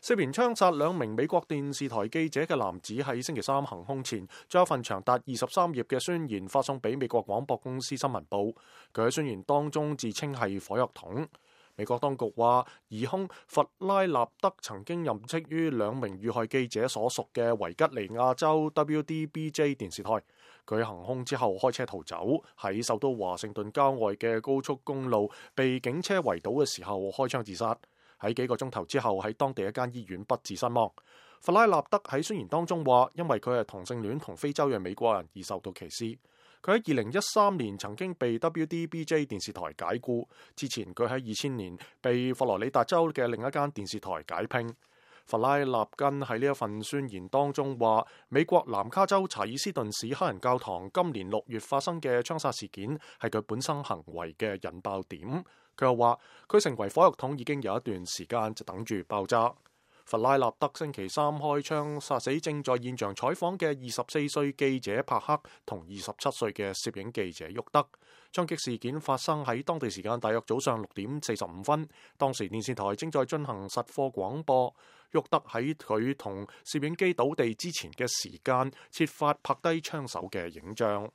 涉嫌槍殺2名美國電視台記者嘅男子喺星期三行兇前，將一份長達23頁嘅宣言發送俾美國廣播公司新聞部。佢喺宣言當中自稱係火藥桶。美國當局話，疑兇弗拉納德曾經任職於2名遇害記者所屬嘅維吉尼亞州 WDBJ 電視台。佢行兇之後開車逃走，喺首都華盛頓郊外嘅高速公路被警車圍堵嘅時候開槍自殺。喺幾個鐘頭之後喺當地一間醫院不治身亡。弗拉納德喺宣言當中話，因為佢係同性戀同非洲裔美國人而受到歧視。佢喺2013年曾經被 WDBJ 電視台解僱，之前佢喺2000年被佛羅里達州嘅另一間電視台解聘。弗拉納根喺呢一份宣言當中話，美國南卡州查爾斯頓市黑人教堂今年6月發生嘅槍殺事件係佢本身行為嘅引爆點。佢又話，佢成為火藥桶已經有一段時間，就等住爆炸。弗拉納德星期三開槍殺死正在現場採訪嘅24歲記者帕克同27歲嘅攝影記者沃德。槍擊事件發生喺當地時間大約早上6點45分，當時電視台正在進行實況廣播。沃德喺佢同攝影機倒地之前嘅時間設法拍低槍手嘅影像。